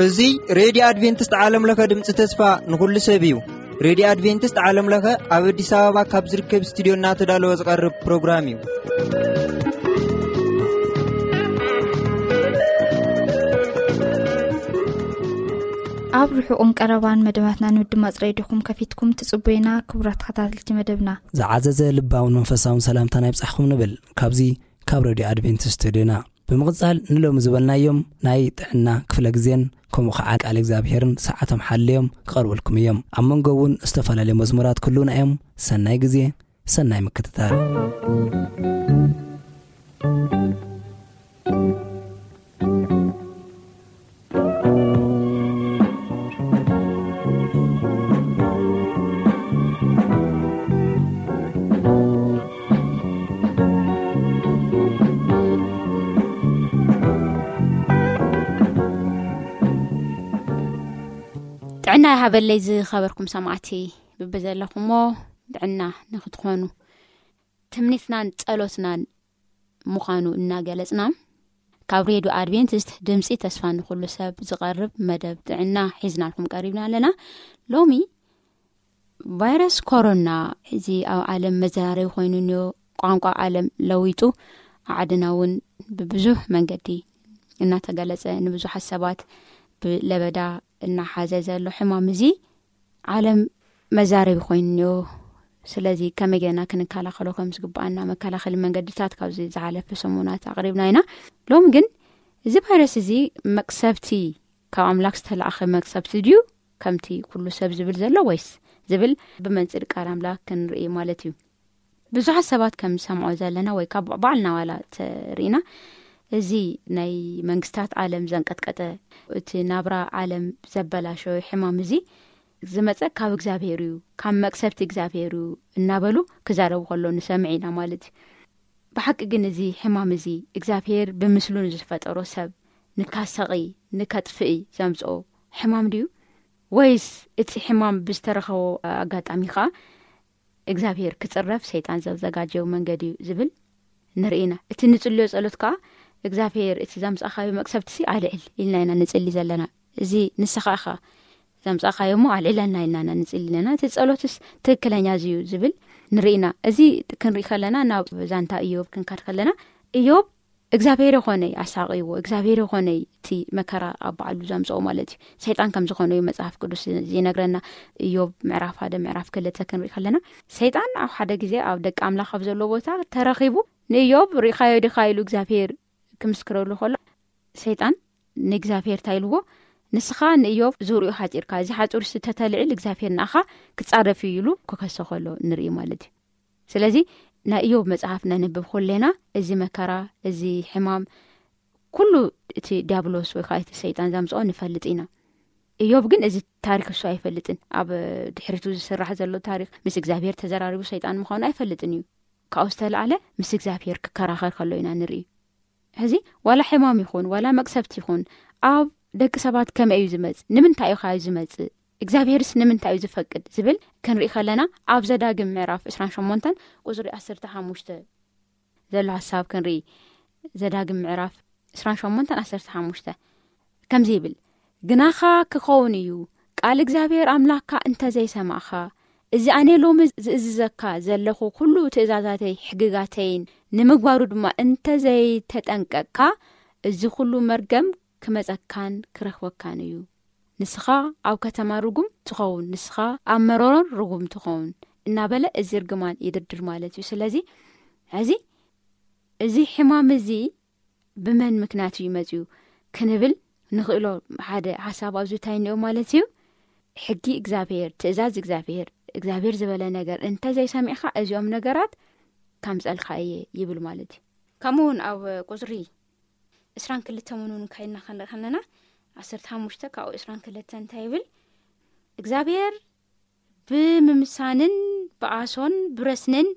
እዚ ሬድዮ ኣድቬንቲስት ዓለም ለኸ ድምፂ ተስፋ ንኹሉ ሰብ እዩ። ሬድዮ ኣድቬንቲስት ዓለም ለኸ ኣብ ኣዲስ ኣበባ ካብ ዝርከብ ስቱዲዮ እናተዳለወ ዝቐርብ ፕሮግራም እዩ። ኣብ ርሑቕን ቀረባን መደባትና ንምድማፅ ሬድዮኹም ከፊትኩም ትጽቡዩና። ክቡራት ተኸታተልቲ መደብና፣ ዝዓዘዘ ልባውን መንፈሳውን ሰላምታና ይብጻሕኩም ንብል። ካብዚ ካብ ሬድዮ ኣድቬንቲስት ስቱዲዮና ብምቕጻል ንሎሚ ዝበልናዮም ናይ ጥዕና ክፍለ ግዜን ከምኡ ኸዓ ቃል እግዚኣብሔርን ሰዓቶም ሓልዮም ክቐርበልኩም እዮም። ኣብ መንጎ እውን ዝተፈላለዩ መዝሙራት ክህልዉና እዮም። ሰናይ ግዜ፣ ሰናይ ምክትታል። ጥዕና ይሃበለይ ዝኸበርኩም ሰማዕቲ፣ ብብዘለኹሞ ጥዕና ንክትኾኑ ትምኒትናን ጸሎትናን ምዃኑ እናገለጽና፣ ካብ ሬድዮ ኣድቬንቲስት ድምጺ ተስፋ ንኹሉ ሰብ ዝቐርብ መደብ ጥዕና ሒዝናልኩም ቀሪብና ኣለና። ሎሚ ቫይረስ ኮሮና እዚ ኣብ ዓለም መዘራረቢ ኮይኑ እንዮ፣ ቋንቋ ዓለም ለዊጡ፣ ዓድና እውን ብብዙሕ መንገዲ እናተገለጸ፣ ንብዙሓት ሰባት ብለበዳ እናሓዘ ዘሎ ሕማም እዚ ዓለም መዛረቢ ኮይኑ እንዮ። ስለዚ ከመይ ጌርና ክንከላኸሎ ከም ዝግብኣና መከላኸሊ መንገድታት ካብዚ ዝሓለፈ ሰሙናት ኣቕሪብና ኢና። ሎሚ ግን እዚ ቫይረስ እዚ መቅሰብቲ፣ ካብ ኣምላኽ ዝተላእኸ መቅሰብቲ ድዩ ከምቲ ኩሉ ሰብ ዝብል ዘሎ፣ ወይስ ዝብል ብመንጽር ቃል ኣምላኽ ክንርኢ ማለት እዩ። ብዙሓት ሰባት ከም ዝሰምዖ ዘለና ወይ ካብ ባዕልና ዋላ ተርኢና፣ እዚ ናይ መንግስታት ዓለም ዘንቀጥቀጠ፣ እቲ ናብራ ዓለም ዘበላሸወ ሕማም እዚ ዝመጸ ካብ እግዚኣብሔር እዩ፣ ካብ መቅሰብቲ እግዚኣብሔር እዩ እናበሉ ክዛረቡ ከሎ ንሰምዕ ኢና ማለት እዩ። ብሓቂ ግን እዚ ሕማም እዚ እግዚኣብሔር ብምስሉ ንዝፈጠሮ ሰብ ንካሰቒ፣ ንከጥፍኢ ዘምጽኦ ሕማም ድዩ? ወይስ እቲ ሕማም ብዝተረኸቦ ኣጋጣሚ ኸኣ እግዚኣብሔር ክጽረፍ ሰይጣን ዘዘጋጀው መንገዲ እዩ ዝብል ንርኢ ኢና። እቲ ንጽልዮ ጸሎት ከኣ እግዚኣብሔር እቲ ዘምጻኻዮ መቅሰብትሲ ኣልዕል ኢልና ኢና ንጽሊ ዘለና። እዚ ንስኻ ኢኻ ዘምጻኻዮ እሞ ኣልዕለና ኢልና ኢና ንጽሊ ኣለና። እቲ ጸሎትስ ትክክለኛ እዚ እዩ ዝብል ንርኢ ኢና። እዚ ክንርኢ ከለና ናብ ዛንታ እዮብ ክንካድ ከለና እዮብ እግዚኣብሔር ይኾነይ ኣሳቕይዎ፣ እግዚኣብሔር ይኾነይ እቲ መከራ ኣብ ባዕሉ ዘምጽኦ ማለት እዩ። ሰይጣን ከም ዝኾነ እዩ መጽሓፍ ቅዱስ ዝነግረና። እዮብ ምዕራፍ ሓደ ምዕራፍ ክልተ ክንርኢ ከለና ሰይጣን ኣብ ሓደ ግዜ ኣብ ደቂ ኣምላኽ ኣብ ዘለዎ ቦታ ተረኺቡ ንእዮብ ርኢኻዮ ዲኻ ኢሉ እግዚኣብሔር ክምስክረሉ ከሎ ሰይጣን ንእግዚኣብሔር እንታይ ኢልዎ? ንስኻ ንእዮብ ዙርኡ ሓጺርካ፣ እዚ ሓጹር ሲ ተተልዕል እግዚኣብሔር ንኣኻ ክጻረፍ እዩ ኢሉ ክከሶ ከሎ ንርኢ ማለት እዩ። ስለዚ ናይ እዮብ መጽሓፍ ነንብብ ኩሌና እዚ መከራ፣ እዚ ሕማም ኩሉ እቲ ዲያብሎስ ወይ ከዓ እቲ ሰይጣን ዘምጽኦ ንፈልጥ ኢና። እዮብ ግን እዚ ታሪክ እሱ ኣይፈልጥን። ኣብ ድሕሪቱ ዝስራሕ ዘሎ ታሪክ ምስ እግዚኣብሔር ተዘራሪቡ ሰይጣን ምዃኑ ኣይፈልጥን እዩ። ካብኡ ዝተላዕለ ምስ እግዚኣብሔር ክከራኸር ከሎ ኢና ንርኢ። ሕዚ ዋላ ሕማም ይኹን ዋላ መቅሰብቲ ይኹን ኣብ ደቂ ሰባት ከመይ እዩ ዝመጽእ? ንምንታይ እዩ ከ ዝመጽእ? እግዚኣብሔርስ ንምንታይ እዩ ዝፈቅድ? ዝብል ክንርኢ ከለና ኣብ ዘዳግም ምዕራፍ ዕስራን ሸሞንተን ቁጽሪ ዓሰርተ ሓሙሽተ ዘሎ ሓሳብ ክንርኢ። ዘዳግም ምዕራፍ ዕስራን ሸሞንተን ዓሰርተ ሓሙሽተ ከምዚ ይብል፣ ግናኻ ክኸውን እዩ ቃል እግዚኣብሔር ኣምላኽካ እንተ ዘይሰማዕኻ፣ እዚ ኣነ ሎሚ ዝእዝዘካ ዘለኹ ኩሉ ትእዛዛተይ ሕግጋተይን ንምግባሩ ድማ እንተ ዘይተጠንቀቅካ፣ እዚ ኩሉ መርገም ክመጸካን ክረኽበካን እዩ። ንስኻ ኣብ ከተማ ርጉም ትኸውን፣ ንስኻ ኣብ መሮሮን ርጉም ትኸውን እናበለ እዚ እርግማን ይድርድር ማለት እዩ። ስለዚ ሕዚ እዚ ሕማም እዚ ብመን ምክንያት እዩ መጺኡ ክንብል ንኽእሎ ሓደ ሓሳብ ኣብዚ እንታይ እኒኦ ማለት እዩ። ሕጊ እግዚኣብሔር፣ ትእዛዝ እግዚኣብሔር፣ እግዚኣብሔር ዝበለ ነገር እንተ ዘይሰሚዕኻ እዚኦም ነገራት ከምጸልካ እየ ይብል ማለት እዩ። ከምኡ እውን ኣብ ቁጽሪ ዕስራን ክልተን እውን እውን ካይድና ክንርኢ ከለና ዓሰርተ ሓሙሽተ ካብኡ ዕስራን ክልተን እንታይ ይብል? እግዚኣብሔር ብምምሳንን ብኣሶን ብረስንን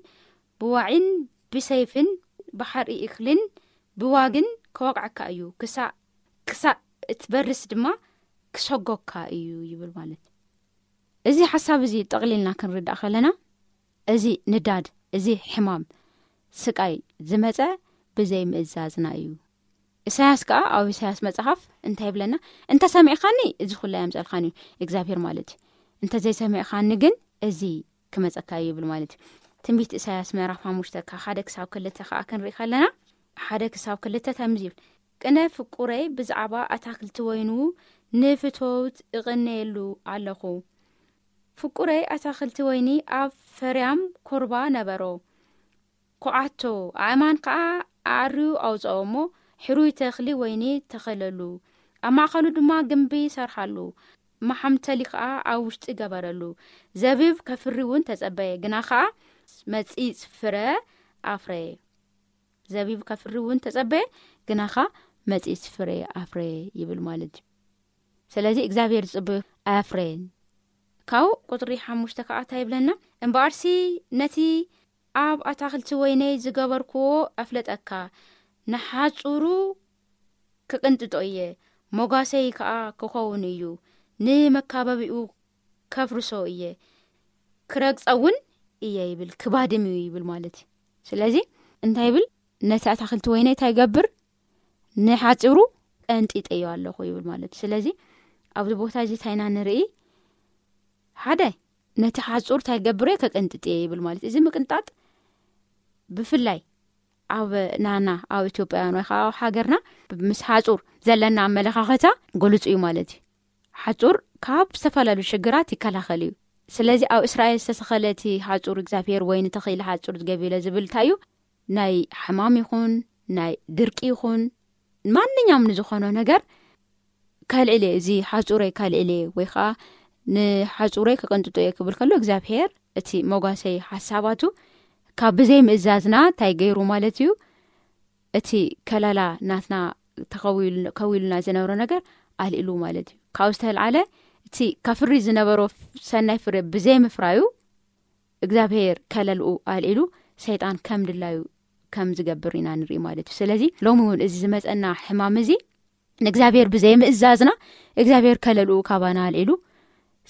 ብዋዒን ብሰይፍን ብሓርኢ እኽልን ብዋግን ከወቕዐካ እዩ፣ ክሳእ ክሳእ እትበርስ ድማ ክሰጎካ እዩ ይብል ማለት እዩ። እዚ ሓሳብ እዚ ጠቕሊልና ክንርዳእ ከለና እዚ ንዳድ እዚ ሕማም ስቃይ ዝመጸ ብዘይ ምእዛዝና እዩ። ኢሳያስ ከኣ ኣብ ኢሳያስ መጽሓፍ እንታይ ይብለና? "እንተ ሰሚዕኻኒ እዚ ኩላ የምጸልካን እዩ እግዚኣብሔር ማለት እዩ። እንተ ዘይሰሚዕኻኒ ግን እዚ ክመጸካ እዩ" ይብል ማለት እዩ። ትንቢት ኢሳያስ ምዕራፍ ሓሙሽተ ካብ ሓደ ክሳብ ክልተ ከኣ ክንርኢ ከለና፣ ሓደ ክሳብ ክልተ ከምዚ ይብል፣ "ቅነ ፍቁረይ ብዛዕባ ኣታክልቲ ወይኑ ንፍቶት እቕነየሉ ኣለኹ። ፍቁረይ ኣታክልቲ ወይኒ ኣብ ፈርያም ኮርባ ነበሮ። ኮዓቶ ኣእማን ከኣ ኣዕርዩ ኣውጽኦ እሞ፣ ሕሩይ ተኽሊ ወይኒ ተኸለሉ። ኣብ ማእከሉ ድማ ግምቢ ሰርሓሉ። መሓምተሊ ከኣ ኣብ ውሽጢ ገበረሉ። ዘቢብ ከፍሪ እውን ተጸበየ፣ ግና ከኣ መጺጽ ፍረ ኣፍረየ። ዘቢብ ከፍሪ እውን ተጸበየ፣ ግና ከኣ መጺጽ ፍረ ኣፍረየ" ይብል ማለት እዩ። ስለዚ እግዚኣብሔር ዝጽበዮ ኣያፍረየን። ካብኡ ቁጽሪ ሓሙሽተ ከኣ እንታይ ይብለና? "እምበኣርሲ ነቲ ኣብ ኣታክልቲ ወይነይ ዝገበርክዎ ኣፍለጠካ፣ ንሓጹሩ ክቕንጥጦ እየ፣ ሞጋሰይ ከኣ ክኸውን እዩ፣ ንመካበቢኡ ከፍርሶ እየ፣ ክረግጸ እውን እየ" ይብል፣ ክባድም እዩ ይብል ማለት እዩ። ስለዚ እንታይ ይብል? "ነቲ ኣታክልቲ ወይነይ እንታይ ይገብር? ንሓጺሩ ቀንጢጠዮ ኣለኹ" ይብል ማለት እዩ። ስለዚ ኣብዚ ቦታ እዚ እንታይ ኢና ንርኢ? ሓደ፣ ነቲ ሓጹር እንታይ ይገብር እየ? ከቀንጥጥ እየ ይብል ማለት እዩ። እዚ ምቅንጣጥ ብፍላይ ኣብ ናና ኣብ ኢትዮጵያውያን ወይ ከዓ ኣብ ሃገርና ምስ ሓጹር ዘለና ኣመለኻኸታ ጎልጹ እዩ ማለት እዩ። ሓጹር ካብ ዝተፈላለዩ ሽግራት ይከላኸል እዩ። ስለዚ ኣብ እስራኤል ዝተተኸለ እቲ ሓጹር እግዚኣብሔር ወይ ንተኽኢለ ሓጹር ዝገቢለ ዝብል እንታይ እዩ? ናይ ሕማም ይኹን ናይ ድርቂ ይኹን ማንኛውም ንዝኾኖ ነገር ከልዕል እየ፣ እዚ ሓጹረይ ከልዕል እየ ወይ ከዓ ንሓጹረይ ከቀንጥጦ እየ ክብል ከሎ እግዚኣብሔር እቲ መጓሰይ ሓሳባቱ ካብ ብዘይ ምእዛዝና እንታይ ገይሩ ማለት እዩ? እቲ ከለላ ናትና ተኸዊሉ- ከዊሉና ዝነበረ ነገር ኣልኢሉ ማለት እዩ። ካብኡ ዝተልዓለ እቲ ከፍሪ ዝነበሮ ሰናይ ፍረ ብዘይ ምፍራዩ እግዚኣብሔር ከለልኡ ኣልኢሉ ሰይጣን ከም ድላዩ ከም ዝገብር ኢና ንርኢ ማለት እዩ። ስለዚ ሎሚ እውን እዚ ዝመፀና ሕማም እዚ ንእግዚኣብሔር ብዘይ ምእዛዝና እግዚኣብሔር ከለልኡ ካባና ኣልኢሉ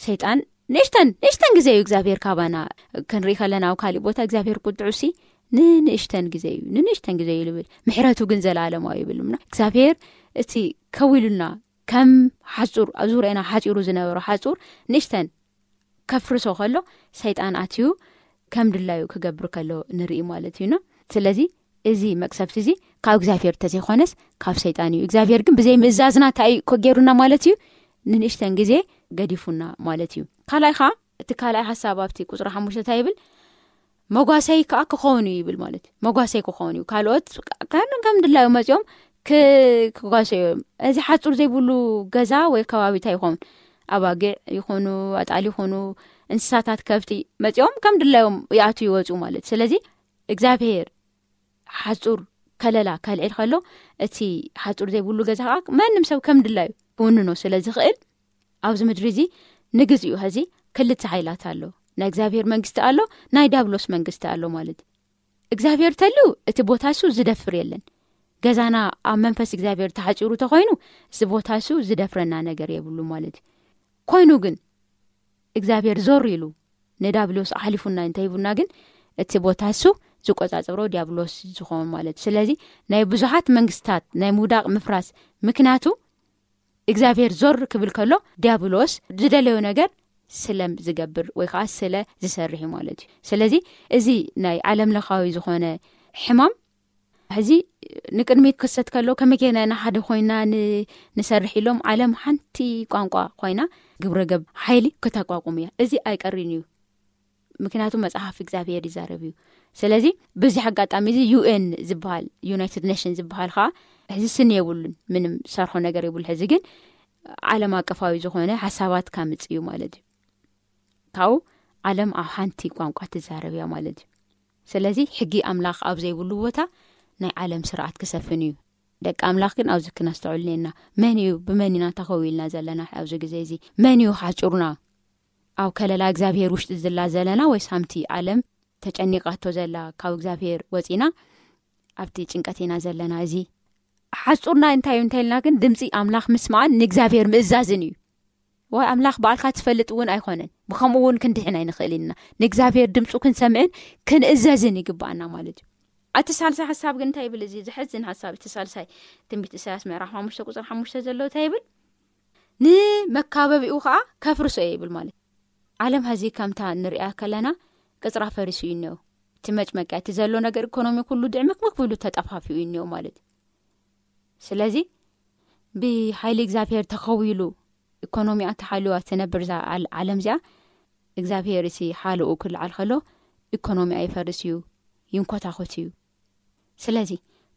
ሰይጣን ንእሽተን ንእሽተን ግዜ እዩ እግዚኣብሔር ካባና ክንርኢ ከለና ኣብ ካሊእ ቦታ እግዚኣብሔር ቁጥዑ ሲ ንንእሽተን ግዜ እዩ ንንእሽተን ግዜ እዩ ልብል ምሕረቱ ግን ዘለኣለማዊ ይብል እምና እግዚኣብሔር እቲ ከዊሉና ከም ሓጹር ኣብ ዙርያና ሓጺሩ ዝነበረ ሓጹር ንእሽተን ከፍርሶ ከሎ ሰይጣን ኣትዩ ከም ድላዩ ክገብር ከሎ ንርኢ ማለት እዩና። ስለዚ እዚ መቅሰፍቲ እዚ ካብ እግዚኣብሔር ተዘይኮነስ ካብ ሰይጣን እዩ። እግዚኣብሔር ግን ብዘይ ምእዛዝና እንታይ እዩ ከገይሩና ማለት እዩ? ንንእሽተን ግዜ ገዲፉና ማለት እዩ። ካልኣይ ከዓ እቲ ካልኣይ ሓሳብ ኣብቲ ቁፅሪ ሓሙሽተ እንታይ ይብል? መጓሰይ ከዓ ክኸውን እዩ ይብል ማለት እዩ። መጓሰይ ክኸውን እዩ። ካልኦት ከም ከም ድላዩ መፂኦም ክ- ክጓሰዩ እዮም። እዚ ሓፁር ዘይብሉ ገዛ ወይ ከባቢ እንታይ ይኸውን? ኣባጊዕ ይኹኑ ኣጣል ይኹኑ እንስሳታት ከብቲ መፂኦም ከም ድላዮም ይኣቱ ይወፁ ማለት። ስለዚ እግዚኣብሔር ሓፁር ከለላ ከልዕል ከሎ እቲ ሓፁር ዘይብሉ ገዛ ከዓ ማንም ሰብ ከም ድላዩ ክውንኖ ስለ ዝኽእል ኣብዚ ምድሪ እዚ ንግዚኡ ሀዚ ክልተ ሓይላት ኣሎ። ናይ እግዚኣብሔር መንግስቲ ኣሎ፣ ናይ ዲያብሎስ መንግስቲ ኣሎ ማለት እዩ። እግዚኣብሔር ተልዩ እቲ ቦታ እሱ ዝደፍር የለን። ገዛና ኣብ መንፈስ እግዚኣብሔር ተሓፂሩ ተኮይኑ እዚ ቦታ እሱ ዝደፍረና ነገር የብሉ ማለት እዩ። ኮይኑ ግን እግዚኣብሔር ዞር ኢሉ ንዳብሎስ ኣሕሊፉና እንተሂቡና ግን እቲ ቦታ እሱ ዝቆጻጽሮ ዲያብሎስ ዝኸውን ማለት እዩ። ስለዚ ናይ ብዙሓት መንግስታት ናይ ምውዳቕ ምፍራስ ምክንያቱ እግዚኣብሔር ዞር ክብል ከሎ ዲያብሎስ ዝደለዮ ነገር ስለ ዝገብር ወይ ከዓ ስለ ዝሰርሕ እዩ ማለት እዩ። ስለዚ እዚ ናይ ዓለም ለኻዊ ዝኾነ ሕማም ሕዚ ንቅድሚት ክሰት ከሎ ከመይ ጌርና ኢና ሓደ ኮይና ን- ንሰርሕ ኢሎም ዓለም ሓንቲ ቋንቋ ኮይና ግብረ ገብ ሓይሊ ክተቋቁም እያ። እዚ ኣይቀሪን እዩ። ምክንያቱ መጽሓፍ እግዚኣብሔር ይዛረብ እዩ። ስለዚ በዚ ኣጋጣሚ እዚ ዩ ኤን ዝበሃል ዩናይትድ ኔሽን ዝበሃል ከዓ ሕዚ ስኒ የብሉን፣ ምንም ሰርሖ ነገር የብሉ። ሕዚ ግን ዓለም ኣቀፋዊ ዝኾነ ሓሳባት ካምጽእ እዩ ማለት እዩ። ካብኡ ዓለም ኣብ ሓንቲ ቋንቋ ትዛረብ እያ ማለት እዩ። ስለዚ ሕጊ ኣምላኽ ኣብ ዘይብሉ ቦታ ናይ ዓለም ስርዓት ክሰፍን እዩ። ደቂ ኣምላኽ ግን ኣብዚ ክነስተውዕል እኒአና። መን እዩ ብመን ኢና ተኸዊልና ዘለና ኣብዚ ግዜ እዚ? መን እዩ ሓጹርና? ኣብ ከለላ እግዚኣብሔር ውሽጢ ዝላ ዘለና ወይስ ሃምቲ ዓለም ተጨኒቃቶ ዘላ ካብ እግዚኣብሔር ወፂና ኣብቲ ጭንቀት ኢና ዘለና? እዚ ሓጹርና እንታይ እዩ እንተልና ግን ድምፂ ኣምላኽ ምስማዕን ንእግዚኣብሔር ምእዛዝን እዩ። ወይ ኣምላኽ ባዕልካ ትፈልጥ እውን ኣይኮነን። ብኸምኡ እውን ክንድሕን ኣይንኽእል ኢና። ንእግዚኣብሔር ድምፁ ክንሰምዕን ክንእዘዝን ይግባኣና ማለት እዩ። እቲ ሳልሳይ ሓሳብ ግን እንታይ ይብል? እዚ ዝሕዝን ሓሳብ፣ እቲ ሳልሳይ ትንቢት ኢሳያስ ምዕራፍ ሓሙሽተ ቁፅሪ ሓሙሽተ ዘሎ እንታይ ይብል? ንመካበቢኡ ከዓ ከፍርሶ እየ ይብል ማለት። ዓለም ሀዚ ከምታ ንሪኣ ከለና ቅፅራ ፈሪሱ እዩ እኒኦ። እቲ መጭመቂያ፣ እቲ ዘሎ ነገር ኢኮኖሚ ኩሉ ድዕምክምክ ብሉ ተጠፋፊኡ እዩ እኒኦ ማለት እዩ። ስለዚ ብሓይሊ እግዚኣብሔር ተኸዊሉ ኢኮኖሚያ ተሓልዋ ትነብር እዛ ዓል- ዓለም እዚኣ እግዚኣብሔር እቲ ሓልኡ ክልዓል ከሎ ኢኮኖሚያ ይፈርስ እዩ፣ ይንኮታኮት እዩ። ስለዚ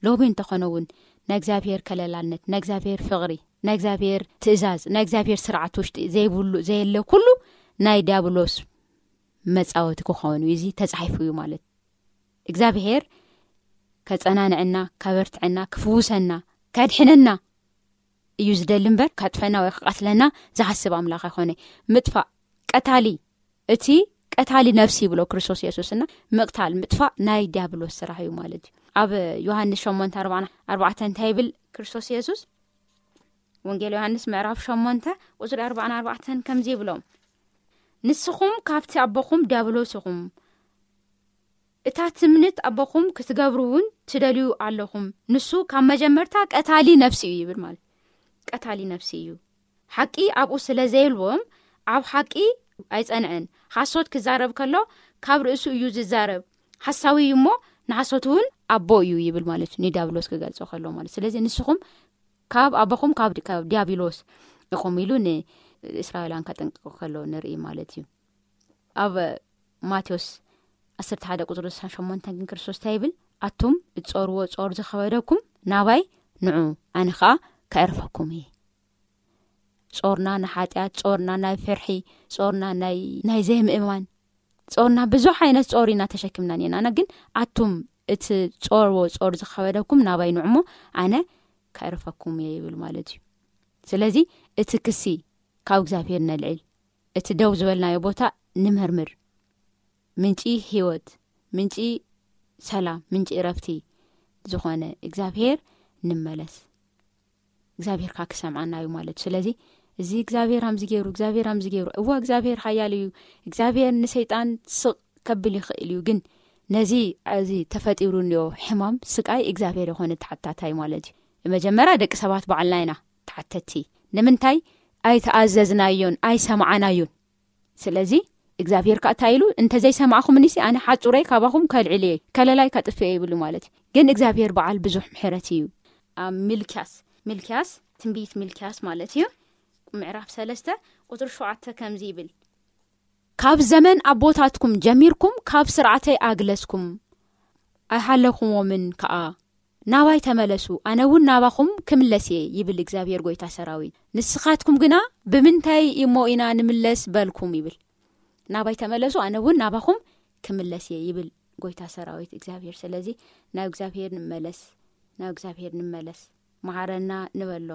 ሎሚ እንተኾነ እውን ናይ እግዚኣብሔር ከለላነት፣ ናይ እግዚኣብሔር ፍቕሪ፣ ናይ እግዚኣብሔር ትእዛዝ፣ ናይ እግዚኣብሔር ስርዓት ውሽጢ ዘይብሉ ዘየለ ኩሉ ናይ ዲያብሎስ መጻወቲ ክኸውን እዩ። እዚ ተጻሒፉ እዩ ማለት እግዚኣብሔር ከጸናንዐና፣ ከበርትዐና፣ ክፍውሰና፣ ከድሕነና እዩ ዝደሊ እምበር ከጥፈና ወይ ክቐትለና ዝሓስብ ኣምላኽ ኣይኮነ። ምጥፋእ ቀታሊ፣ እቲ ቀታሊ ነፍሲ ይብሎ ክርስቶስ የሱስና፣ ምቕታል ምጥፋእ ናይ ዲያብሎስ ስራሕ እዩ ማለት እዩ። ኣብ ዮሃንስ ሸሞንተ ኣርባዕን ኣርባዕተን እንታይ ይብል ክርስቶስ የሱስ? ወንጌል ዮሃንስ ምዕራፍ ሸሞንተ ቁፅሪ ኣርባዕን ኣርባዕተን ከምዚ ይብሎም፣ ንስኹም ካብቲ ኣቦኹም ዲያብሎስ ኢኹም፣ እታ ትምኒት ኣቦኹም ክትገብሩ እውን ትደልዩ ኣለኹም። ንሱ ካብ መጀመርታ ቀታሊ ነፍሲ እዩ ይብል ማለት ቀታሊ ነፍሲ እዩ። ሓቂ ኣብኡ ስለ ዘይልዎም ኣብ ሓቂ ኣይጸንዐን። ሓሶት ክዛረብ ከሎ ካብ ርእሱ እዩ ዝዛረብ። ሓሳዊ እዩ እሞ ንሓሶት እውን ኣቦ እዩ ይብል ማለት እዩ። ንዲያብሎስ ክገልጾ ከሎ ማለት። ስለዚ ንስኹም ካብ ኣቦኹም ካብ ዲ- ካብ ዲያብሎስ ኢኹም ኢሉ ንእስራኤላን ከጠንቅቆ ከሎ ንርኢ ማለት እዩ። ኣብ ማቴዎስ ዓሰርተ ሓደ ቁፅሪ ስሳን ሸሞንተን ግን ክርስቶስ እንታይ ይብል? ኣቱም እትጾርዎ ጾር ዝኸበደኩም ናባይ ንዑ፣ ኣነ ኸኣ ከዕርፈኩም እየ። ጾርና ንሓጢኣት፣ ጾርና ናይ ፍርሒ፣ ጾርና ናይ ናይ ዘይምእማን፣ ጾርና ብዙሕ ዓይነት ጾር ኢና ተሸኪምና ነና። ግን ኣቱም እቲ ጾርዎ ጾር ዝኸበደኩም ናባይ ንዑ እሞ ኣነ ከዕርፈኩም እየ ይብል ማለት እዩ። ስለዚ እቲ ክሲ ካብ እግዚኣብሔር ነልዕል፣ እቲ ደው ዝበልናዮ ቦታ ንመርምር። ምንጪ ህይወት፣ ምንጪ ሰላም፣ ምንጪ እረፍቲ ዝኾነ እግዚኣብሔር ንመለስ። እግዚኣብሔር ካ ክሰምዓና እዩ ማለት እዩ። ስለዚ እዚ እግዚኣብሔር ኣምዚ ገይሩ፣ እግዚኣብሔር ኣምዚ ገይሩ፣ እዋ እግዚኣብሔር ሓያል እዩ። እግዚኣብሔር ንሰይጣን ስቕ ከብል ይኽእል እዩ። ግን ነዚ እዚ ተፈጢሩ እንዮ ሕማም ስቃይ እግዚኣብሔር የኾነ ተሓታታይ ማለት እዩ። መጀመርያ ደቂ ሰባት ባዕልና ኢና ተሓተቲ። ንምንታይ ኣይተኣዘዝናዮን ኣይሰማዓናዮን? ስለዚ እግዚኣብሔር ከኣ እንታይ ኢሉ? እንተዘይሰማዕኹምኒሲ ኣነ ሓጹረይ ካባኹም ከልዕል እየ፣ ከለላይ ከጥፍእ እየ ይብሉ ማለት እዩ። ግን እግዚኣብሔር በዓል ብዙሕ ምሕረት እዩ። ኣብ ሚልክያስ፣ ሚልክያስ፣ ትንቢት ሚልክያስ ማለት እዩ፣ ምዕራፍ ሰለስተ ቁጽሪ ሸውዓተ ከምዚ ይብል፣ ካብ ዘመን ኣቦታትኩም ጀሚርኩም ካብ ስርዓተይ ኣግለስኩም ኣይሃለኹዎምን ከኣ። ናባይ ተመለሱ፣ ኣነ እውን ናባኹም ክምለስ እየ ይብል እግዚኣብሔር ጎይታ ሰራዊት። ንስኻትኩም ግና ብምንታይ እሞ ኢና ንምለስ በልኩም ይብል። ናባይ ተመለሱ፣ ኣነ እውን ናባኹም ክምለስ እየ ይብል ጎይታ ሰራዊት እግዚኣብሔር። ስለዚ ናብ እግዚኣብሔር ንመለስ፣ ናብ እግዚኣብሔር ንመለስ። መሓረና ንበሎ፣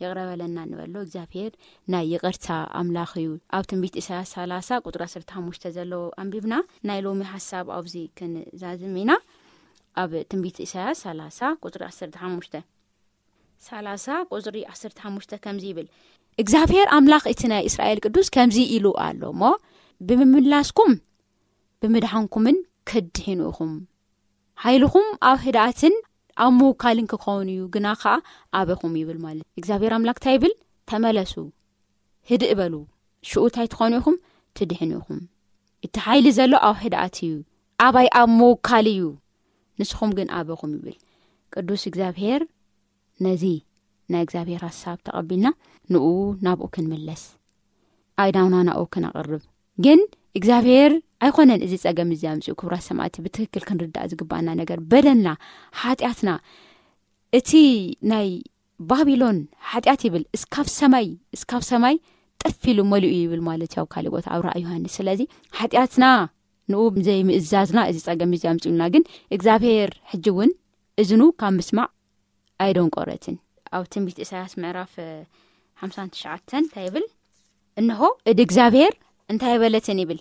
ይቕረ በለና ንበሎ። እግዚኣብሔር ናይ ይቕርታ ኣምላኽ እዩ። ኣብ ትንቢት ኢሳያስ ሰላሳ ቁጽሪ ዓሰርተ ሓሙሽተ ዘሎ ኣንቢብና ናይ ሎሚ ሓሳብ ኣብዚ ክንዛዝም ኢና። ኣብ ትንቢት ኢሳያስ ሰላሳ ቁጽሪ ዓሰርተ ሓሙሽተ፣ ሰላሳ ቁጽሪ ዓሰርተ ሓሙሽተ ከምዚ ይብል፣ እግዚኣብሔር ኣምላኽ እቲ ናይ እስራኤል ቅዱስ ከምዚ ኢሉ ኣሎ እሞ፣ ብምምላስኩም ብምድሓንኩምን ክትድሕኑ ኢኹም። ሓይልኹም ኣብ ህድኣትን ኣብ ምውካልን ክኸውን እዩ፣ ግና ኸኣ ኣበኹም ይብል ማለት። እግዚኣብሔር ኣምላኽ እንታይ ይብል? ተመለሱ፣ ህድእ በሉ፣ ሽኡ እንታይ ትኾኑ ኢኹም? ትድሕኑ ኢኹም። እቲ ሓይሊ ዘሎ ኣብ ህድኣት እዩ፣ ኣባይ ኣብ ምውካል እዩ፣ ንስኹም ግን ኣበኹም ይብል። ቅዱስ እግዚኣብሔር ነዚ ናይ እግዚኣብሔር ሓሳብ ተቐቢልና ንኡ ናብኡ ክንምለስ፣ ኣእዳውና ናብኡ ክነቕርብ። ግን እግዚኣብሔር ኣይኮነን እዚ ጸገም እዚ ኣምጽኡ። ክቡራት ሰማዕቲ፣ ብትክክል ክንርዳእ ዝግባኣና ነገር በደልና፣ ሓጢኣትና፣ እቲ ናይ ባቢሎን ሓጢኣት ይብል እስካብ ሰማይ፣ እስካብ ሰማይ ጥፍ ኢሉ መሊኡ ይብል ማለት እዩ ኣብ ካልእ ቦታ ኣብ ራእይ ዮሃንስ። ስለዚ ሓጢኣትና ንኡ ዘይምእዛዝና እዚ ጸገም እዚ ኣምጽኡልና። ግን እግዚኣብሔር ሕጂ እውን እዝኑ ካብ ምስማዕ ኣይደንቆረትን። ኣብ ትንቢት ኢሳያስ ምዕራፍ ሓምሳን ትሽዓተን እንታይ ይብል? እንሆ እድ እግዚኣብሔር እንታይ በለትን ይብል?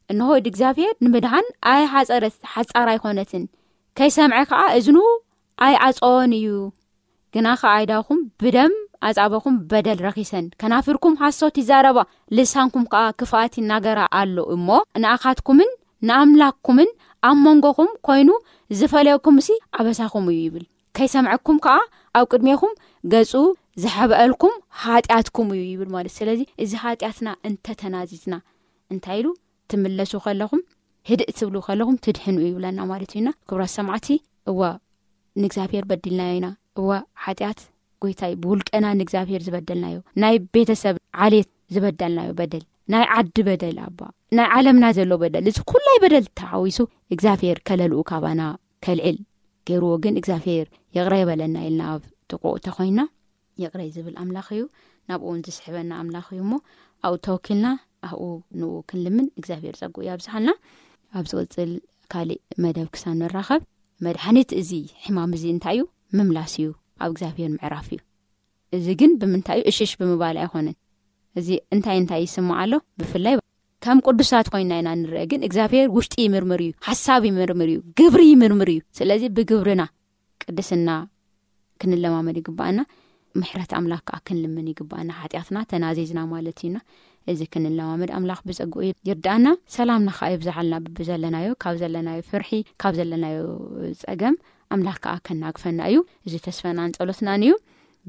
እንሆ እድ እግዚኣብሔር ንምድሓን ኣይሓጸረት፣ ሓጻር ኣይኮነትን፣ ከይሰምዐ ከኣ እዝኑ ኣይዓጸወን እዩ። ግና ከኣ ኣይዳኹም ብደም ኣጻበኹም በደል ረኺሰን፣ ከናፍርኩም ሓሶት ይዛረባ፣ ልሳንኩም ከኣ ክፍኣት ይናገራ ኣሎ እሞ፣ ንኣኻትኩምን ንኣምላኽኩምን ኣብ መንጎኹም ኮይኑ ዝፈለየኩምሲ ኣበሳኹም እዩ ይብል። ከይሰምዐኩም ከኣ ኣብ ቅድሜኹም ገጹ ዝሐብአልኩም ኃጢኣትኩም እዩ ይብል ማለት። ስለዚ እዚ ኃጢኣትና እንተተናዚዝና እንታይ ኢሉ? ትምለሱ ከለኹም፣ ህድእ ትብሉ ከለኹም ትድሕኑ ይብለና ማለት እዩና። ክቡራት ሰማዕቲ፣ እዋ ንእግዚኣብሔር በዲልናዮ ኢና። እዋ ኃጢኣት ጎይታይ ብውልቀና ንእግዚኣብሔር ዝበደልናዮ፣ ናይ ቤተሰብ ዓሌት ዝበደልናዮ በደል፣ ናይ ዓዲ በደል፣ ኣባ ናይ ዓለምና ዘሎ በደል፣ እዚ ኩላይ በደል ተሓዊሱ እግዚኣብሔር ከለልኡ ካባና ከልዕል ገይርዎ። ግን እግዚኣብሔር ይቕረ ይበለና ኢልና ኣብ ጥቕኡ ተኾይና፣ ይቕረ ዝብል ኣምላኽ እዩ። ናብኡ እውን ዝስሕበና ኣምላኽ እዩ እሞ፣ ኣብኡ ተወኪልና ኣብኡ ንኡ ክንልምን እግዚኣብሔር ጸጉኡ ያብዝሓልና። ኣብ ዝቕጽል ካልእ መደብ ክሳብ ንራኸብ፣ መድሓኒት እዚ ሕማም እዚ እንታይ እዩ? ምምላስ እዩ፣ ኣብ እግዚኣብሔር ምዕራፍ እዩ። እዚ ግን ብምንታይ እዩ? እሽሽ ብምባል ኣይኮነን። እዚ እንታይ እንታይ ይስማዕ ኣሎ? ብፍላይ ከም ቅዱሳት ኮይና ኢና ንርአ፣ ግን እግዚኣብሔር ውሽጢ ይምርምር እዩ፣ ሓሳብ ይምርምር እዩ፣ ግብሪ ይምርምር እዩ። ስለዚ ብግብርና ቅድስና ክንለማመድ ይግባኣና። ምሕረት ኣምላኽ ከኣ ክንልምን ይግባኣና። ሓጢኣትና ተናዚዝና ማለት እዩና። እዚ ክንለማመድ ኣምላኽ ብጸግኡ ይርዳኣና። ሰላምና ከኣ ይብዝሓልና። ብብዘለናዮ፣ ካብ ዘለናዮ ፍርሒ፣ ካብ ዘለናዮ ጸገም ኣምላኽ ከኣ ከናግፈና እዩ። እዚ ተስፈናን ጸሎትናን እዩ።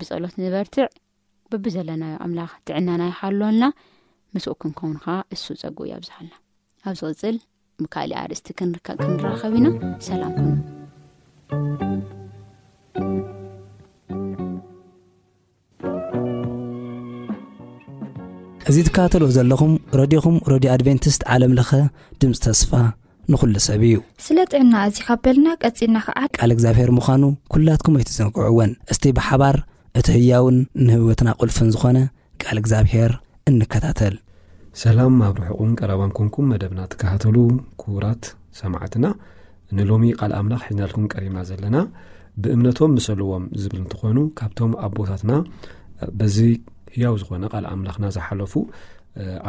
ብጸሎት ንበርትዕ። ብብዘለናዮ ኣምላኽ ጥዕናና ይሓልወልና። ምስኡ ክንከውን ከኣ እሱ ጸግኡ ያብዝሓልና። ኣብ ዝቕጽል ብካልእ ኣርእስቲ ክንርከ-፣ ክንራኸብ ኢና። ሰላም ኩኑ። እዚ ትከታተልዎ ዘለኹም ረድዮኹም ረድዮ ኣድቬንቲስት ዓለም ለኸ ድምፂ ተስፋ ንኹሉ ሰብ እዩ። ስለ ጥዕና እዚ ካብ በልና ቀጺልና ከኣ ቃል እግዚኣብሔር ምዃኑ ኩላትኩም ኣይትዘንግዕዎን። እስቲ ብሓባር እቲ ህያውን ንህይወትና ቁልፍን ዝኾነ ቃል እግዚኣብሔር እንከታተል። ሰላም ኣብ ርሑቕን ቀረባን ኮንኩም መደብና ትከታተሉ ክቡራት ሰማዕትና፣ ንሎሚ ቃል ኣምላኽ ሒዝናልኩም ቀሪብና ዘለና ብእምነቶም ምሰልዎም ዝብል እንትኾኑ፣ ካብቶም ኣቦታትና በዚ ህያው ዝኾነ ቃል ኣምላኽና ዝሓለፉ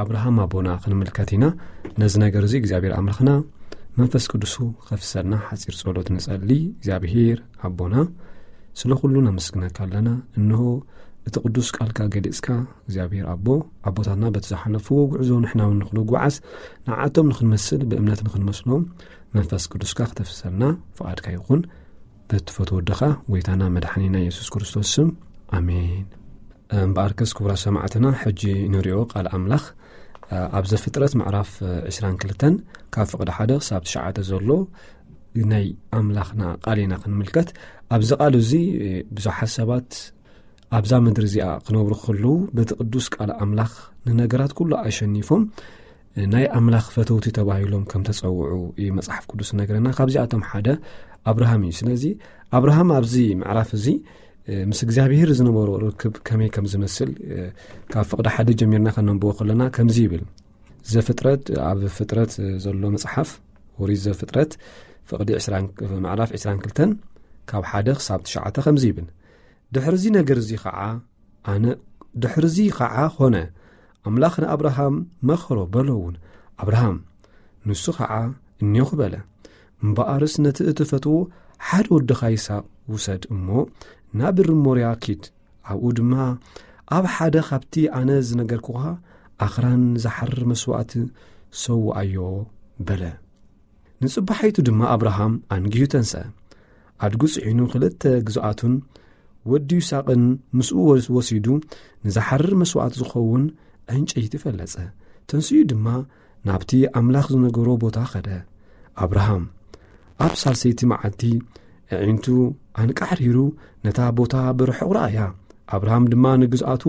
ኣብርሃም ኣቦና ክንምልከት ኢና። ነዚ ነገር እዚ እግዚኣብሔር ኣምላኽና መንፈስ ቅዱሱ ከፍሰልና ሓጺር ጸሎት ንጸሊ። እግዚኣብሔር ኣቦና፣ ስለ ኩሉ ነመስግነካ ኣለና። እንሆ እቲ ቅዱስ ቃልካ ገሊጽካ እግዚኣብሔር ኣቦ፣ ኣቦታትና በቲ ዝሓለፍዎ ጉዕዞ ንሕና እውን ንኽንጓዓዝ ንዓቶም ንኽንመስል ብእምነት ንኽንመስሎም መንፈስ ቅዱስካ ክተፍሰልና ፍቓድካ ይኹን። በትፈትዎ ወድኻ ጎይታና መድሓኒና የሱስ ክርስቶስ ስም፣ ኣሜን። እምበኣርከስ ክቡራት ሰማዕትና፣ ሕጂ ንሪኦ ቃል ኣምላኽ፣ እ፣ ኣብ ዘፍጥረት ምዕራፍ፣ እ፣ ዕስራን ክልተን ካብ ፍቕዲ ሓደ ክሳብ ትሽዓተ ዘሎ ናይ ኣምላኽና ቃል ኢና ክንምልከት። ኣብዚ ቃል እዚ፣ እ፣ ብዙሓት ሰባት ኣብዛ ምድሪ እዚኣ ክነብሩ ከለዉ በቲ ቅዱስ ቃል ኣምላኽ ንነገራት ኩሉ ኣሸኒፎም ናይ ኣምላኽ ፈተውቲ ተባሂሎም ከም ተጸውዑ እዩ መጽሓፍ ቅዱስ ዝነግረና። ካብዚኣቶም ሓደ ኣብርሃም እዩ። ስለዚ ኣብርሃም ኣብዚ ምዕራፍ እዚ፣ እ፣ ምስ እግዚኣብሔር ዝነበሮ ርክብ ከመይ ከም ዝመስል፣ እ፣ ካብ ፍቕዲ ሓደ ጀሚርና ከነንብቦ ከለና ከምዚ ይብል። ዘፍጥረት፣ ኣብ ፍጥረት ዘሎ መጽሓፍ፣ ኦሪት ዘፍጥረት ፍቕዲ ዕስራን፣ ምዕራፍ ዕስራን ክልተን ካብ ሓደ ክሳብ ትሽዓተ ከምዚ ይብል። ድሕርዚ ነገር እዚ ኸዓ ኣነ፣ ድሕርዚ ኸዓ ኾነ፣ ኣምላኽ ንኣብርሃም መኸሮ በሎ እውን፣ ኣብርሃም። ንሱ ኸዓ እኔኹ በለ። እምበኣርስ ነቲ እትፈትዎ ሓደ ወድኻ ይስሐቅ ውሰድ እሞ ናብ ምድሪ ሞርያ ኪድ፣ ኣብኡ ድማ ኣብ ሓደ ኻብቲ ኣነ ዝነገርኩኻ ኣኽራን ዝሓርር መስዋእቲ ሰውኣዮ በለ። ንጽባሒቱ ድማ ኣብርሃም ኣንጊሁ ተንስአ። ኣድጉ ጽዒኑ ክልተ ግዙኣቱን ወዲ ይስሐቅን ምስኡ ወስ-፣ ወሲዱ ንዝሓርር መስዋእቲ ዝኸውን ዕንጨይቲ ፈለጸ። ተንሲኡ ድማ ናብቲ ኣምላኽ ዝነገሮ ቦታ ኸደ። ኣብርሃም ኣብ ሳልሰይቲ መዓልቲ ኣዒንቱ ኣንቃዕሪሩ ነታ ቦታ ብርሑቕ ረኣያ። ኣብርሃም ድማ ንግዝኣቱ፣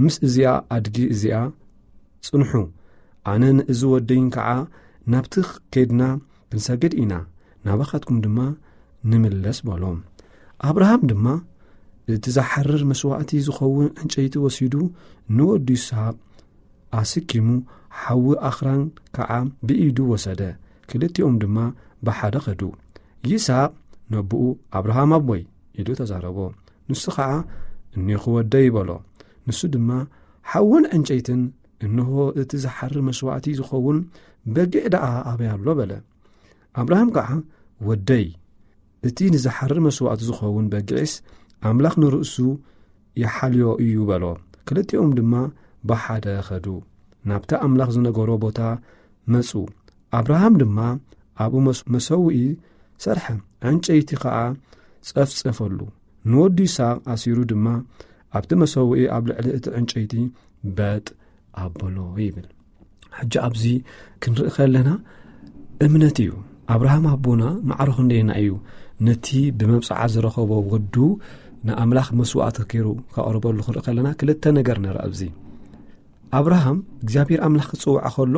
ምስ እዚኣ ኣድጊ እዚኣ ጽንሑ፣ ኣነ ንእዚ ወደይን ከዓ ናብቲ ኬድና ክንሰግድ ኢና፣ ናባኻትኩም ድማ ንምለስ በሎም። ኣብርሃም ድማ እቲ ዝሓርር መስዋእቲ ዝኸውን ዕንጨይቲ ወሲዱ ንወዱ ይስሐቅ ኣስኪሙ፣ ሓዊ ኣኽራን ከዓ ብኢዱ ወሰደ። ክልቲኦም ድማ ብሓደ ኸዱ። ይስሐቅ ነቦኡ፣ ኣብርሃም ኣቦይ ኢሉ ተዛረቦ። ንሱ ኸዓ እኔኹ ወደይ በሎ። ንሱ ድማ ሓውን ዕንጨይትን፣ እንሆ እቲ ዝሓርር መስዋእቲ ዝኸውን በጊዕ ደኣ ኣበይ ኣሎ በለ። ኣብርሃም ከዓ ወደይ፣ እቲ ንዝሓርር መስዋእቲ ዝኸውን በጊዕስ ኣምላኽ ንርእሱ ይሓልዮ እዩ በሎ። ክልቲኦም ድማ ብሓደ ኸዱ። ናብቲ ኣምላኽ ዝነገሮ ቦታ መጹ። ኣብርሃም ድማ ኣብኡ መስ-፣ መሰውኢ ሰርሐ፣ ዕንጨይቲ ኸኣ ጸፍጸፈሉ። ንወዱ ይስሐቅ ኣሲሩ ድማ ኣብቲ መሰውኢ ኣብ ልዕሊ እቲ ዕንጨይቲ በጥ ኣበሎ ይብል። ሕጂ ኣብዚ ክንርኢ ከለና እምነት እዩ። ኣብርሃም ኣቦና ማዕሮ ክንደየና እዩ ነቲ ብመብጽዓ ዝረኸቦ ወዱ ንኣምላኽ መስዋእቲ ገይሩ ከቕርበሉ ክንርኢ ከለና ክልተ ነገር ንርኢ ኣብዚ። ኣብርሃም እግዚኣብሔር ኣምላኽ ክጽውዖ ከሎ፣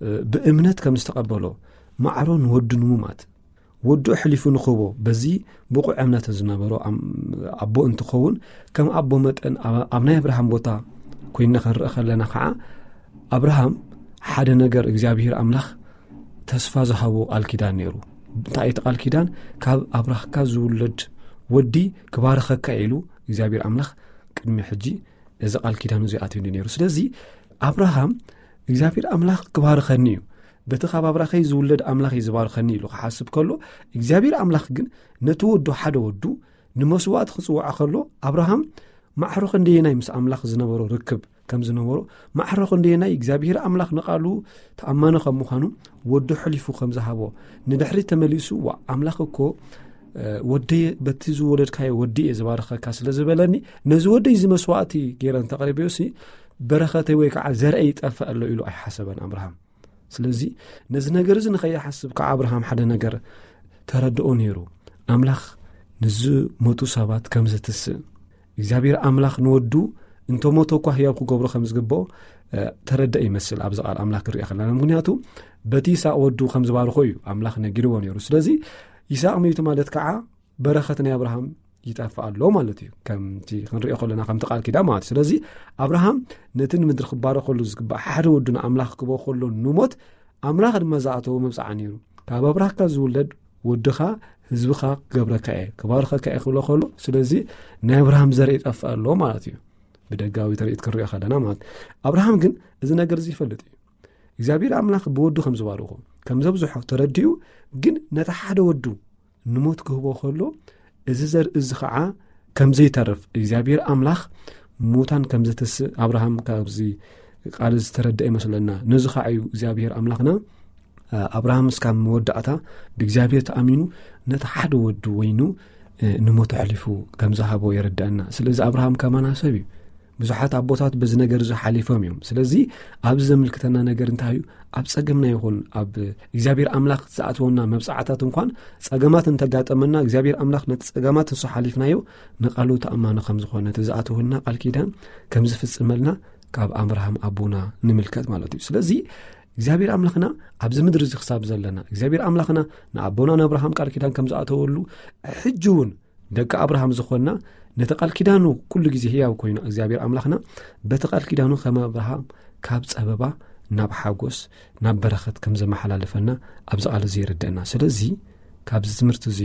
እ፣ ብእምነት ከም ዝተቐበሎ ማዕሮ ንወዱ ንሙማት ወዱ ኣሕሊፉ ንክህቦ በዚ ብቑዕ እምነት ዝነበሮ ኣም-፣ ኣቦ እንትኸውን፣ ከም ኣቦ መጠን ኣብ፣ ኣብ ናይ ኣብርሃም ቦታ ኮይንና ክንርኢ ከለና ከዓ ኣብርሃም ሓደ ነገር እግዚኣብሔር ኣምላኽ ተስፋ ዝሃቦ ቃል ኪዳን ነይሩ። እንታይ እቲ ቃል ኪዳን? ካብ ኣብራኽካ ዝውለድ ወዲ ክባርኸካ ኢሉ እግዚኣብሔር ኣምላኽ ቅድሚ ሕጂ እዚ ቃል ኪዳኑ እዚ ኣትዩሉ ነይሩ። ስለዚ ኣብርሃም እግዚኣብሔር ኣምላኽ ክባርኸኒ እዩ፣ በቲ ካብ ኣብራኸይ ዝውለድ ኣምላኽ እዩ ዝባርኸኒ ኢሉ ክሓስብ ከሎ፣ እግዚኣብሔር ኣምላኽ ግን ነቲ ወዱ፣ ሓደ ወዱ ንመስዋእቲ ክጽውዖ ከሎ፣ ኣብርሃም ማዕሮ ክንደየናይ ምስ ኣምላኽ ዝነበሮ ርክብ ከም ዝነበሮ፣ ማዕሮ ክንደየናይ እግዚኣብሔር ኣምላኽ ንቓሉ ተኣማኒ ከም ምዃኑ፣ ወዱ ሕሊፉ ከም ዝሃቦ፣ ንድሕሪት ተመሊሱ፣ "ዋ፣ ኣምላኽ እኮ፣ እ፣ ወደየ፣ በቲ ዝወለድካዮ ወዲ እየ ዝባርኸካ ስለ ዝበለኒ፣ ነዚ ወደይ እዚ መስዋእቲ ገይረ እንተቕሪበዮሲ፣ በረኸተይ ወይ ከዓ ዘርአይ ይጠፍእ ኣሎ" ኢሉ ኣይሓሰበን ኣብርሃም። ስለዚ ነዚ ነገር እዚ ንኸይሓስብ ከዓ ኣብርሃም ሓደ ነገር ተረድኦ ነይሩ። ኣምላኽ ንዝሞቱ ሰባት ከም ዘትስእ፣ እግዚኣብሔር ኣምላኽ ንወዱ እንተሞተ እኳ ህያው ክገብሮ ከም ዝግብኦ፣ እ፣ ተረድአ ይመስል ኣብዚ ቃል ኣምላኽ ክንሪኦ ከለና። ምኽንያቱ በቲ ይስሐቅ ወዱ ከም ዝባርኾ እዩ ኣምላኽ ነጊርዎ ነይሩ። ስለዚ ይስሐቅ ሚቱ ማለት ከዓ በረኸት ናይ ኣብርሃም ይጠፍእ ኣሎ ማለት እዩ። ከምቲ ክንሪኦ ከለና ከምቲ ቃል ኪዳን ማለት እዩ። ስለዚ ኣብርሃም ነቲ ንምድሪ ክባረኸሉ ዝግባእ ሓደ ወዱ ንኣምላኽ ክቦ ከሎ ንሞት ኣምላኽ ድማ ዝኣተዎ መብጽዓ ነይሩ። "ካብ ኣብራኽካ ዝውለድ ወድኻ ህዝብኻ ክገብረካ እየ፣ ክባርኸካ እየ" ክብሎ ከሎ፣ ስለዚ ናይ ኣብርሃም ዘርኢ ይጠፍእ ኣሎ ማለት እዩ። ብደጋዊ ትርኢት ክንሪኦ ከለና ማለት ኣብርሃም ግን እዚ ነገር እዚ ይፈልጥ እዩ። እግዚኣብሔር ኣምላኽ ብወዱ ከም ዝባርኾ፣ ከም ዘብዝሖ ተረዲኡ፣ ግን ነቲ ሓደ ወዱ ንሞት ክህቦ ከሎ፣ እዚ ዘርኢ እዚ ኸዓ ከም ዘይተርፍ፣ እግዚኣብሔር ኣምላኽ ሙታን ከም ዘተስእ ኣብርሃም ካብዚ ቃል ዝተረድአ ይመስለና። ነዚ ኸዓ እዩ እግዚኣብሔር ኣምላኽና፣ እ፣ ኣብርሃም እስካብ መወዳእታ ብእግዚኣብሔር ተኣሚኑ ነቲ ሓደ ወዱ ወይኑ፣ እ፣ ንሞት ኣሕሊፉ ከም ዝሃቦ የረድኣና። ስለዚ ኣብርሃም ከማና ሰብ እዩ። ብዙሓት ኣቦታት በዚ ነገር እዚ ሓሊፎም እዮም። ስለዚ ኣብዚ ዘምልክተና ነገር እንታይ እዩ? ኣብ ጸገምና ይኹን ኣብ እግዚኣብሔር ኣምላኽ ዝኣትወና መብጽዓታት እንኳን ጸገማት እንተጋጠመና፣ እግዚኣብሔር ኣምላኽ ነቲ ጸገማት ንሱ ሓሊፍናዮ ንቃሉ ተኣማኒ ከም ዝኾነ፣ እቲ ዝኣትወልና ቃል ኪዳን ከም ዝፍጽመልና ካብ ኣብርሃም ኣቦና ንምልከት ማለት እዩ። ስለዚ እግዚኣብሔር ኣምላኽና ኣብዚ ምድሪ እዚ ክሳብ ዘለና፣ እግዚኣብሔር ኣምላኽና ንኣቦና ንኣብርሃም ቃል ኪዳን ከም ዝኣተወሉ፣ ሕጂ እውን ደቂ ኣብርሃም ዝኾንና፣ ነቲ ቃል ኪዳኑ ኩሉ ግዜ ህያው ኮይኑ እግዚኣብሔር ኣምላኽና በቲ ቃል ኪዳኑ ከም ኣብርሃም ካብ ጸበባ ናብ ሓጎስ፣ ናብ በረኸት ከም ዘመሓላልፈና ኣብዚ ቃል እዚ የረድአና። ስለዚ ካብዚ ትምህርቲ እዚ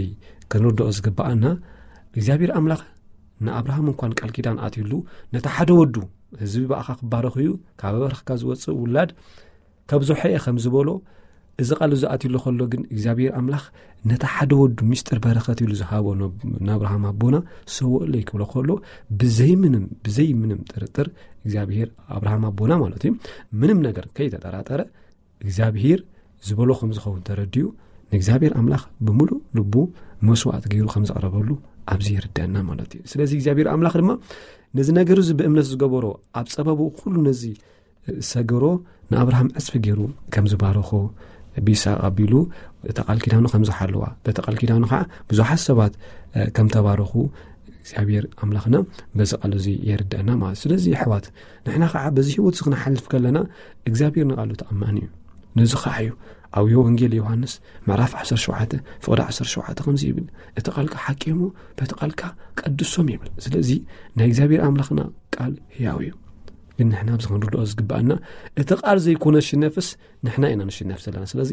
ክንርድኦ ዝግብኣና፣ እግዚኣብሔር ኣምላኽ ንኣብርሃም እንኳን ቃል ኪዳን ኣትዩሉ፣ ነቲ ሓደ ወዱ፣ "ህዝቢ ብኣኻ ክባረኽ እዩ፣ ካብ ኣብራኽካ ዝወጽእ ውላድ ከብዝሖ እየ" ከም ዝበሎ፣ እዚ ቃል እዚ ኣትዩሉ ከሎ ግን እግዚኣብሔር ኣምላኽ ነቲ ሓደ ወዱ ሚስጥር በረኸት ኢሉ ዝሃቦ ናብ፣ ንኣብርሃም ኣቦና ሰውእለይ ክብሎ ከሎ፣ ብዘይ ምንም፣ ብዘይ ምንም ጥርጥር እግዚኣብሔር ኣብርሃም ኣቦና ማለት እዩ፣ ምንም ነገር ከይተጠራጠረ፣ እግዚኣብሔር ዝበሎ ከም ዝኸውን ተረዲኡ፣ ንእግዚኣብሔር ኣምላኽ ብምሉእ ልቡ መስዋዕቲ ገይሩ ከም ዘቕረበሉ ኣብዚ ይርደአና ማለት እዩ። ስለዚ እግዚኣብሔር ኣምላኽ ድማ ነዚ ነገር እዚ ብእምነት ዝገበሮ፣ ኣብ ጸበቡ ኩሉ ነዚ ሰገሮ ንኣብርሃም ዕጽፊ ገይሩ ከም ዝባረኾ፣ ብይስሐቅ ኣቢሉ እታ ቃል ኪዳኑ ከም ዝሓለዋ፣ በቲ ቃል ኪዳኑ ከዓ ብዙሓት ሰባት፣ እ፣ ከም ተባረኹ እግዚኣብሔር ኣምላኽና በዚ ቃል እዚ የርድአና ማለት እዩ። ስለዚ ኣሕዋት፣ ንሕና ከዓ በዚ ህይወት እዚ ክነሓልፍ ከለና እግዚኣብሔር ንቃሉ ተኣማኒ እዩ። ነዚ ከዓ እዩ ኣብ ወንጌል ዮሃንስ ምዕራፍ ዓሰርተ ሸውዓተ ፍቕዲ ዓሰርተ ሸውዓተ ከምዚ ይብል፣ "እቲ ቃልካ ሓቂ እሞ በቲ ቃልካ ቀድሶም" ይብል። ስለዚ ናይ እግዚኣብሔር ኣምላኽና ቃል ህያው እዩ። ግን ንሕና ኣብዚ ክንርድኦ ዝግብኣና፣ እቲ ቃል ዘይኮነ ዝሽነፍስ ንሕና ኢና ንሽነፍ ዘለና። ስለዚ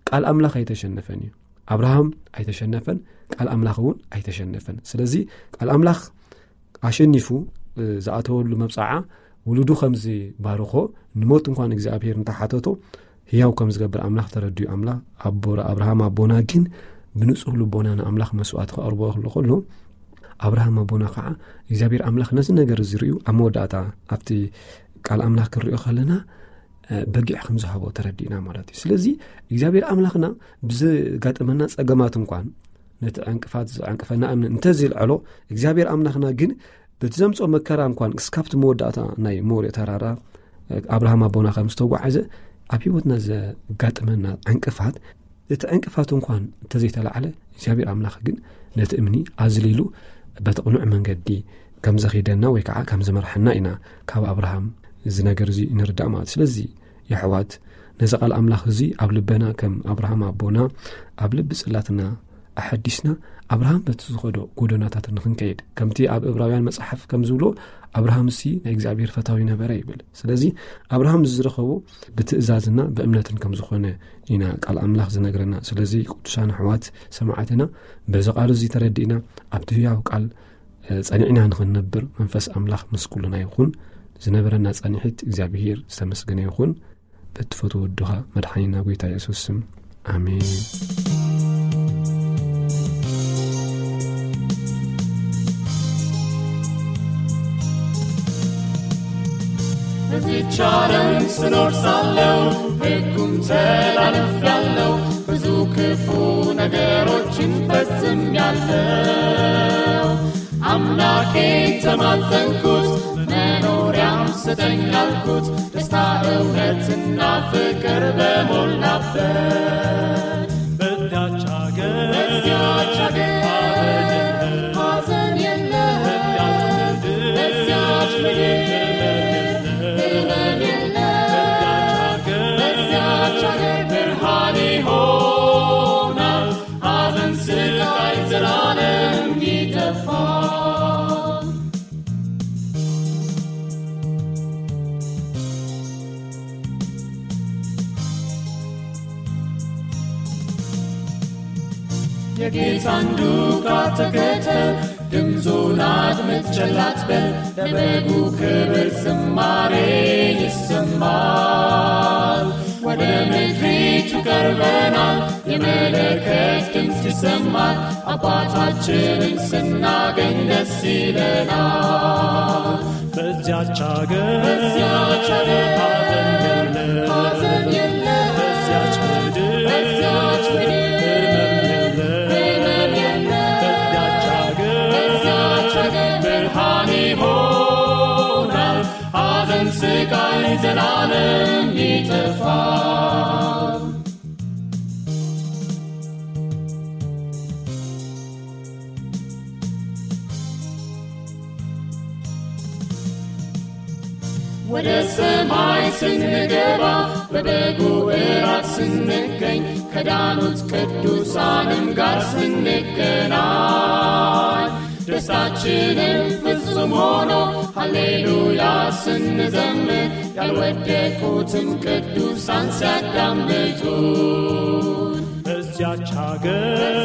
ቃል ኣምላኽ ኣይተሸነፈን እዩ። ኣብርሃም ኣይተሸነፈን፣ ቃል ኣምላኽ እውን ኣይተሸነፈን። ስለዚ ቃል ኣምላኽ ኣሸኒፉ፣ እ፣ ዝኣተወሉ መብጽዓ ውሉዱ ከም ዝባርኾ፣ ንሞት እንኳን እግዚኣብሔር እንተሓተቶ ህያው ከም ዝገብር ኣምላኽ ተረዲኡ፣ ኣምላኽ ኣቦ-፣ ኣብርሃም ኣቦና ግን ብንጹህ ልቦና ንኣምላኽ መስዋእቲ ከቕርቦ ከሎ፣ ከሎ ኣብርሃም ኣቦና ከዓ እግዚኣብሔር ኣምላኽ ነዚ ነገር እዚ ርእዩ ኣብ መወዳእታ ኣብቲ ቃል ኣምላኽ ክንሪኦ ከለና በጊዕ ከም ዝሃቦ ተረዲእና ማለት እዩ። ስለዚ እግዚኣብሔር ኣምላኽና ብዘጋጠመና ጸገማት እንኳን ነቲ ዕንቅፋት ዘዕንቅፈና እምኒ እንተዘይልዕሎ እግዚኣብሔር ኣምላኽና ግን በቲ ዘምፅኦ መከራ እንኳን እስካብቲ መወዳእታ ናይ ሞሪያ ተራራ ኣብርሃም ኣቦና ከም ዝተጓዓዘ ኣብ ህይወትና ዘጋጥመና ዕንቅፋት እቲ ዕንቅፋት እንኳን እንተዘይተላዕለ እግዚኣብሔር ኣምላኽ ግን ነቲ እምኒ ኣዝሊሉ በቲ ቅኑዕ መንገዲ ከም ዘኺደና ወይ ከዓ ከም ዝመርሐና ኢና ካብ ኣብርሃም እዚ ነገር እዚ ንርዳእ ማለት። ስለዚ የሕዋት ነዚ ቃል ኣምላኽ እዚ ኣብ ልበና ከም ኣብርሃም ኣቦና ኣብ ልቢ ጽላትና ኣሐዲስና ኣብርሃም በቲ ዝኸዶ ጎደናታት ንኽንከይድ ከምቲ ኣብ እብራውያን መጽሓፍ ከም ዝብሎ ኣብርሃም ሲ ናይ እግዚኣብሔር ፈታዊ ነበረ ይብል። ስለዚ ኣብርሃም ዝረኸቦ ብትእዛዝና ብእምነትን ከም ዝኾነ ኢና ቃል ኣምላኽ ዝነግረና። ስለዚ ቅዱሳን ኣሕዋት ሰማዕትና በዚ ቃል እዚ ተረዲእና ኣብቲ ህያው ቃል ጸኒዕና ንኽንነብር መንፈስ ኣምላኽ ምስ ኩልና ይኹን። ዝነበረና ጸኒሒት እግዚኣብሔር ዝተመስገነ ይኹን። በትፈትዎ ወድኻ መድሓኒና ጎይታ የሱስ ስም ኣሜን። እዚች ዓለም ስኖር ሳለው ሕጉን ተላልፍ ያለው ብዙ ክፉ ነገሮችን ፈጽም ያለው አምላኬ ተማጸንኩት መኖሪያም ስጠኝ አልኩት ደስታ እውነትና ፍቅር በሞላበት በዚያች ሀገር በዚያች ሀገር ሐዘን የለም። በዚያች ምድር ህመም የለም። በዚያች ሀገር ብርሃን ይሆናል። ሐዘን ስቃይ ዘላለም ይጠፋል። የጌታን ዱካ ተከተል ድምፁን አድምጥ ቸል አትበል። ለበጉ ክብር ዝማሬ ይሰማል። ወደ ምድሪቱ ቀርበናል። የመለከት ድምፅ ይሰማል። አባታችንን ስናገኝ ደስ ይለናል። በዚያች ሀገር በዚያች ሀገር ሐዘን የለም። ሐዘን የለም። በዚያች ምድር በዚያች ምድር ህመም የለም። ህመም የለም። በዚያች ሀገር በዚያች ሀገር ብርሃን ይሆናል። ሐዘን ስቃይ ዘላለም ይጠፋል። ወደ ሰማይ ስንገባ በበጉ እራት ስንገኝ ከዳኑት ቅዱሳንም ጋር ስንገናኝ ደስታችንም ፍጹም ሆኖ ሃሌሉያ ስንዘምር ያልወደቁትም ቅዱሳን ሲያዳምጡ በዚያች ሀገር